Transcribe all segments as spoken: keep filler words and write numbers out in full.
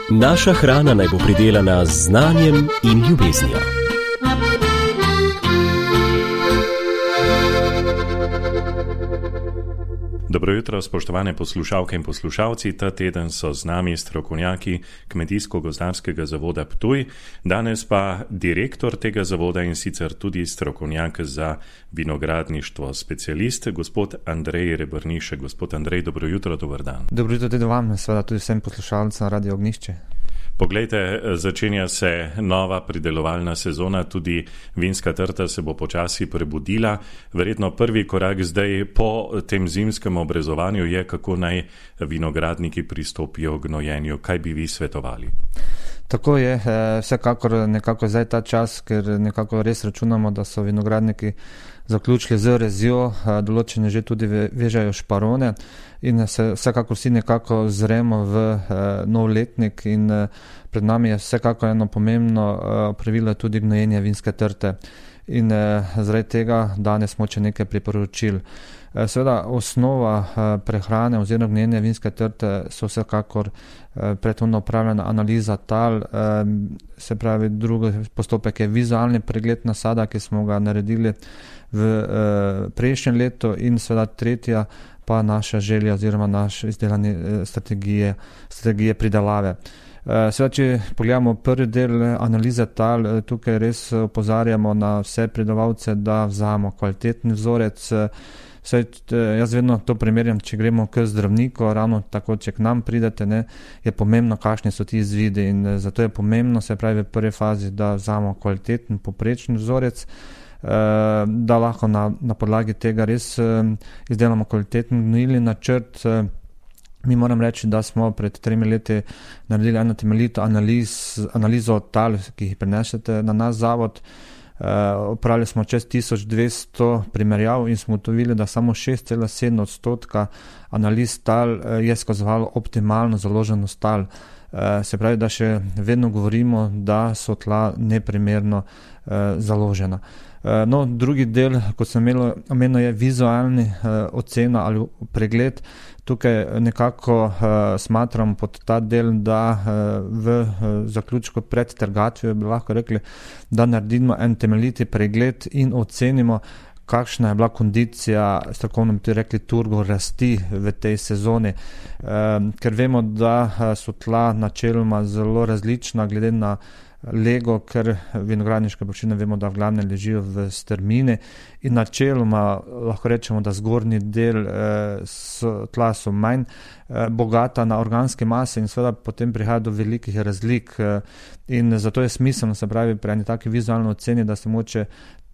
Naša hrana naj bo pridelana z znanjem in ljubeznijo. Dobro jutro, spoštovane poslušalke in poslušalci. Ta teden so z nami strokovnjaki Kmetijsko-gozdarskega zavoda Ptuj, danes pa direktor tega zavoda in sicer tudi strokovnjak za vinogradništvo, specialist, gospod Andrej Rebrnišek. Gospod Andrej, dobro jutro, dober dan. Dobro jutro tudi vam, seveda tudi vsem poslušalcem Radio Ognjišče. Poglejte, začenja se nova pridelovalna sezona, tudi vinska trta se bo počasi prebudila. Verjetno prvi korak zdaj po tem zimskem obrezovanju je, kako naj vinogradniki pristopijo k gnojenju. Kaj bi vi svetovali? Tako je, vsekakor nekako zdaj ta čas, ker nekako res računamo, da so vinogradniki zaključili z rezjo, določene že tudi vežajo šparone in se vsekako vsi nekako zremo v nov letnik in pred nami je vsekako eno pomembno pravilo tudi gnojenje vinske trte. In zaradi tega danes smo če nekaj priporočil. Seveda osnova prehrane oziroma gnojenja vinske trte so vsekakor predhodno opravljena analiza tal, se pravi drugi postopek je vizualni pregled nasada, ki smo ga naredili v prejšnjem letu in seveda tretja pa naša želja oziroma naš izdelane strategije, strategije pridelave. Seveda, če pogledamo prvi del analize tal, tukaj res opozarjamo na vse pridelovalce, da vzamemo kvaliteten vzorec. Saj, jaz vedno to primerjam, če gremo k zdravniku, ravno tako, če k nam pridete, ne, je pomembno, kakšni so ti izvidi in zato je pomembno, se pravi v prvi fazi, da vzamemo kvaliteten, poprečen vzorec, da lahko na, na podlagi tega res izdelamo kvaliteten gnojilni načrt. Mi moram reči, da smo pred tremi leti naredili eno temeljito analiz, analizo tal, ki jih prenesete na naš zavod. Opravili smo čez tisoč dvesto primerjav in smo ugotovili, da samo šest cela sedem odstotka analiz tal je skazovalo optimalno založenost tal. Se pravi, da še vedno govorimo, da so tla neprimerno založena. No, drugi del, kot sem omenil, je vizualni ocena ali pregled. Tukaj nekako uh, smatram pod ta del, da uh, v uh, zaključku pred trgatvijo bi lahko rekli, da naredimo en temeljiti pregled in ocenimo, kakšna je bila kondicija, strokovno bi rekli, turbo rasti v tej sezoni. Uh, ker vemo, da uh, so tla načeloma zelo različna glede na lego, ker vinogradniške površine vemo, da v glavne ležijo v strmini in načeloma lahko rečemo, da zgornji del eh, so, tla so manj eh, bogata na organske mase in seveda potem prihaja do velikih razlik eh, in zato je smiselno, se pravi, pri eni taki vizualni oceni, da se moče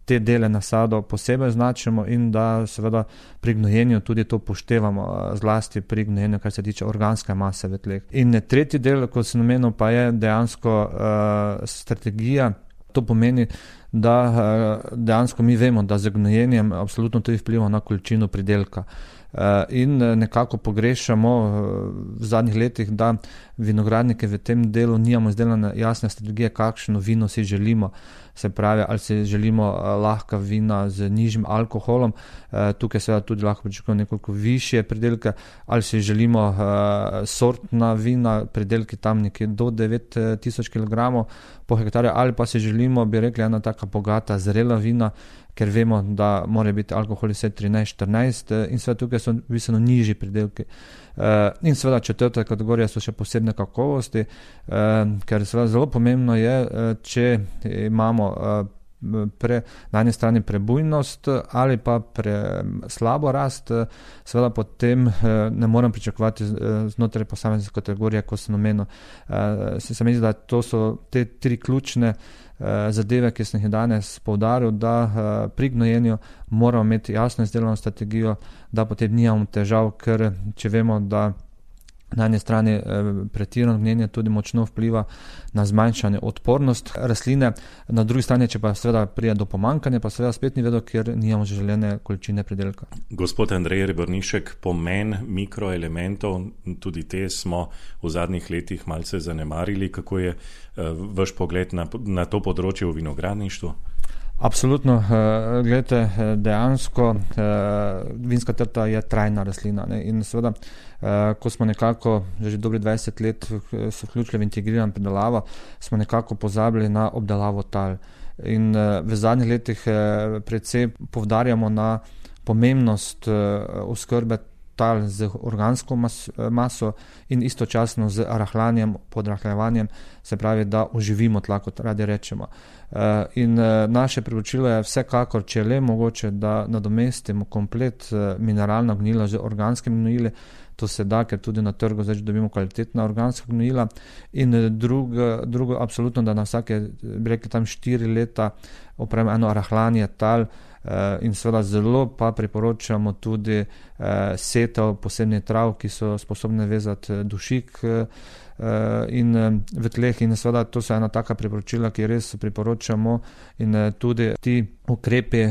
te dele nasadov posebej značimo in da seveda pri gnojenju tudi to upoštevamo, zlasti pri gnojenju, kar se tiče organske mase v tleh. In tretji del, kot sem omenil, pa je dejansko uh, strategija. To pomeni, da uh, dejansko mi vemo, da z gnojenjem absolutno tudi vpliva na količino pridelka. In nekako pogrešamo v zadnjih letih, da vinogradnike v tem delu nimamo izdelane jasne strategije, kakšno vino si želimo. Se pravi, ali si želimo lahka vina z nižjim alkoholom, tukaj seveda tudi lahko pričakujemo nekoliko višje pridelke, ali si želimo sortna vina, pridelki tam nekje do devet tisoč kilogramov po hektarju, ali pa si želimo, bi rekli, ena taka bogata zrela vina, ker vemo, da mora biti alkohol vse trinajst štirinajst in seveda tukaj so bistveno nižji pridelki. In seveda četrta kategorija so še posebne kakovosti, ker seveda zelo pomembno je, če imamo pre, na eni strani prebujnost ali pa pre slabo rast, seveda potem ne moram pričakovati znotraj posamezne kategorije, kot sem omenil. Se, se mi zdi, da to so te tri ključne zadeve, ki sem jih danes poudaril, da pri gnojenju moramo imeti jasno izdelano strategijo, da potem nimamo težav, ker če vemo, da na eni strani pretirano gnojenje tudi močno vpliva na zmanjšanje odpornost rastline, na drugi strani, če pa seveda pride do pomankanja, pa seveda spet ni vedo, ker nimamo želene količine pridelka. Gospod Andrej Rebrnišek, pomen mikroelementov, tudi te smo v zadnjih letih malce zanemarili. Kako je vaš pogled na, na to področje v vinogradništvu? Absolutno, gledajte, dejansko vinska trta je trajna rastlina, ne? In seveda, ko smo nekako že dobri dvajset let se vključili v integrirano pridelavo, smo nekako pozabili na obdelavo tal. In v zadnjih letih predvsem poudarjamo na pomembnost oskrbe tal z organsko mas, maso in istočasno z rahljanjem, podrahljevanjem, se pravi, da oživimo tla, kot radi rečemo. In naše priporočilo je vsekakor, če le mogoče, da nadomestimo komplet mineralna gnojila z organskimi gnojili, to se da, ker tudi na trgu zdaj dobimo kvalitetna organska gnojila. In drugo, drugo absolutno, da na vsake, bi rekli, tam štiri leta opravimo eno rahljanje tal, in seveda zelo pa priporočamo tudi setev posebnih trav, ki so sposobne vezati dušik in v tleh, in seveda to so ena taka priporočila, ki res priporočamo, in tudi ti ukrepi,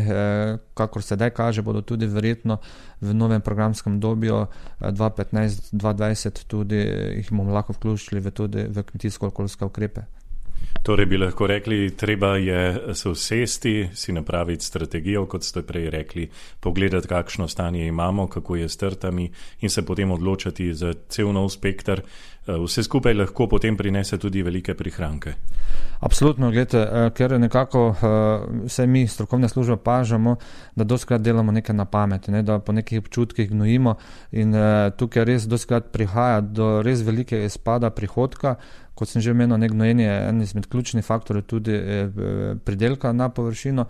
kakor sedaj kaže, bodo tudi verjetno v novem programskem obdobju dva petnajst dva dvajset tudi jih bomo lahko vključili v tudi v kmetijsko-okoljske ukrepe. Torej bi lahko rekli, treba je se usesti, si napraviti strategijo, kot ste prej rekli, pogledati, kakšno stanje imamo, kako je s trtami in se potem odločati za cel nov spekter. Vse skupaj lahko potem prinese tudi velike prihranke. Absolutno, gledajte, ker nekako vse mi strokovne službe pažamo, da dostikrat delamo nekaj na pamet, ne, da po nekih občutkih gnojimo, in tukaj res dostikrat prihaja do res velikega izpada prihodka. Kot sem že omenil, gnojenje je en izmed ključnih faktorjev tudi pridelka na površino,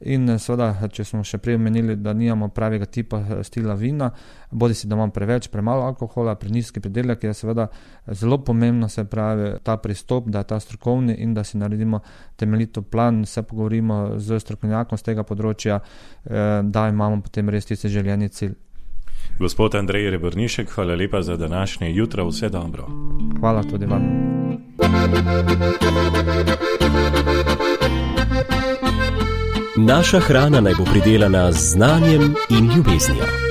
in seveda, če smo še prej omenili, da nimamo pravega tipa stila vina, bodi si, da imamo preveč, premalo alkohola, prenizki pridelek, je seveda zelo pomembno, se pravi, ta pristop, da je ta strokovni in da si naredimo temeljito plan, se pogovorimo z strokovnjakom z tega področja, da imamo potem res tisti željeni cilj. Gospod Andrej Rebrnišek, hvala lepa za današnje jutro, vse dobro. Hvala tudi vam. Naša hrana naj bo pridelana z znanjem in ljubeznijo.